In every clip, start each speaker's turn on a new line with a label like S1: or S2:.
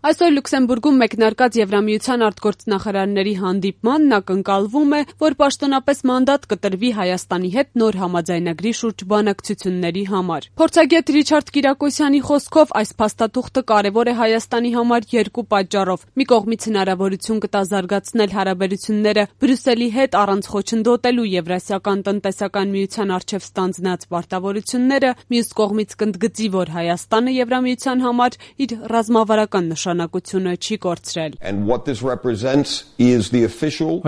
S1: Այսօր Լյուքսեմբուրգում մեկնարկած Եվրամիության արտգործնախարարների հանդիպմանն ակնկալվում է, որ պաշտոնապես մանդատ կտրվի Հայաստանի հետ նոր համաձայնագրի շուրջ բանակցությունների համար։ Փորձագետ Ռիչարդ Կիրակոսյանի խոսքով այս փաստաթուղթը կարևոր է Հայաստանի համար երկու պատճառով։ Մի կողմից հնարավորություն կտա զարգացնել հարաբերությունները Բրյուսելի հետ առանց խոչընդոտելու Եվրասիական տնտեսական միության առջև ստանձնած պարտավորությունները, մյուս կողմից կընդգծի, որ Հայաստանը Եվրամիության համար իր ռազմավարական նշանակությունը չի կորցրել։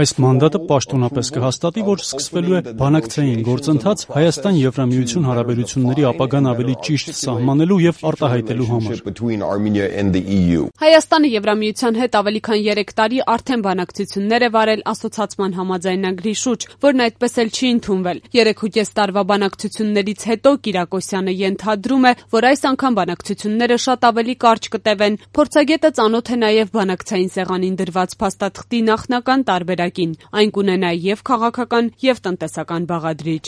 S2: Այս մանդատը պաշտոնապես կհաստատի, որ սկսվելու է բանակցային գործընթաց Հայաստան-Եվրամիություն հարաբերությունների ապագան ավելի ճիշտ սահմանելու եւ արտահայտելու համար։
S1: Հայաստանը Եվրամիության հետ ավելի քան 3 տարի արդեն բանակցություններ է վարել ասոցացման համաձայնագրի շուրջ, որն այդպես էլ չի ընդունվել։ 3.5 տարվա բանակցություններից հետո Կիրակոսյանը ենթադրում է, որ այս անգամ բանակցությունները շատ ավելի կարճ կտևեն։ Փորձագետը ծանոթ է նաև բանակցային սեղանին դրված փաստաթղթի նախնական տարբերակին։ Այն կունենա եւ քաղաքական, եւ տնտեսական բաղադրիչ։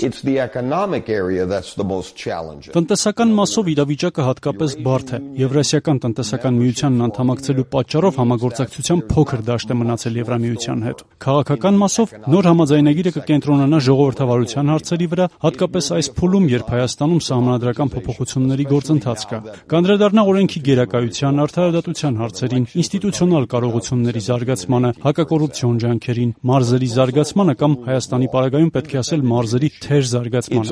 S2: Տնտեսական մասով իրավիճակը հատկապես բարդ է։ Եվրասիական տնտեսական միությանն անդամակցելու պատճառով համագործակցության փոքր դաշտ է մնացել Եվրամիության հետ։ Քաղաքական մասով նոր համաձայնագիրը կկենտրոնանա ժողովրդավարության հարցերի վրա, հատկապես այս փուլում, երբ Հայաստանում սահմանադրական փոփոխությունների գործընթաց կա։ Կանդրադառնա օրենքի գերակայության, արդարադատության հարցերին, ինստիտուցիոնալ կարողությունների զարգացմանը, հակակոռուպցիոն ջանքերին, մարզերի զարգացմանը կամ Հայաստանի պարագայում պետք է ասել մարզերի թեր զարգացմանը։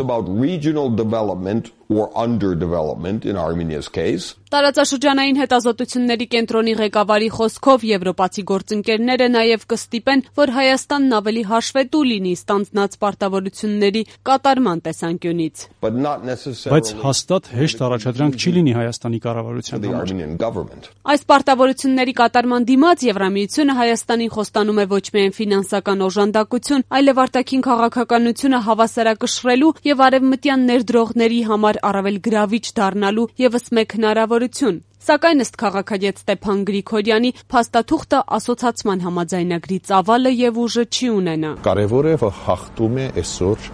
S1: Տարածաշրջանային հետազոտությունների կենտրոնի ղեկավարի խոսքով եվրոպացի գործընկերները նաև կստիպեն, որ Հայաստանն ավելի հաշվետու լինի ստանձնած պարտավորությունների կատարման տեսանկյունից։
S2: Բայց հաստատ հեշտ առաջադրանք չի լինի Հայաստանի կառավարության համար։
S1: Այս պարտավորությունների կատարման դիմաց Եվրամիությունը Հայաստանին խոստանում է ոչ միայն ֆինանսական օժանդակություն, այլև արտաքին քաղաքականությունը հավասարակշռելու եւ արևմտյան ներդրողների համար առավել գրավիչ դառնալու եւս մեկ հնարավորություն։ Սակայն ըստ քաղաքագետ Ստեփան Գրիգորյանի, փաստաթուղթը ասոցացման համաձայնագրի ծավալը եւ ուժը չի ունենա։
S3: Կարևոր է, որ հաղթում է այսօր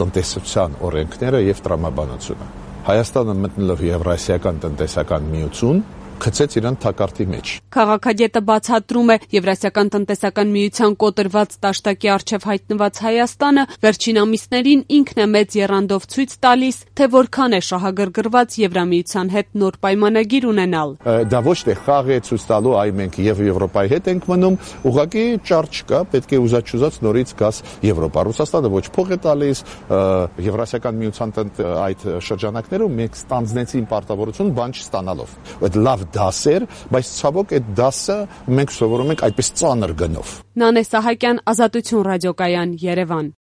S3: տնտեսության օրենքները եւ տրամաբանությունը։ Հայաստանը մտնելով Եվրասիական տնտեսական միություն գցեց իրան թակարդի մեջ։
S1: Քաղաքագետը բացատրում է, Եվրասիական տնտեսական միության կոտրված դաշտակի առջև հայտնված Հայաստանը վերջին ամիսներին ինքն է մեծ եռանդով ցույց տալիս, թե որքան է շահագրգռված Եվրամիության հետ նոր պայմանագիր ունենալ։
S3: Դա ոչ թե խաղ է ցույց տալու, այ մենք եւ Եվրոպայի հետ ենք մնում, ուղղակի ճար չկա, պետք է ուզած նորից գաս Եվրոպա։ Ռուսաստանը ոչ փող է տալիս, Եվրասիական միության այդ շրջանակներում մենք ստանձնեցին պարտավորություն բան չստանալով։ Այդ լավ դասեր, բայց ցավոք այդ դասը մենք սովորում ենք այդպես ծանր գնով։
S1: Նանե Սահակյան, Ազատություն ռադիոկայան, Երևան։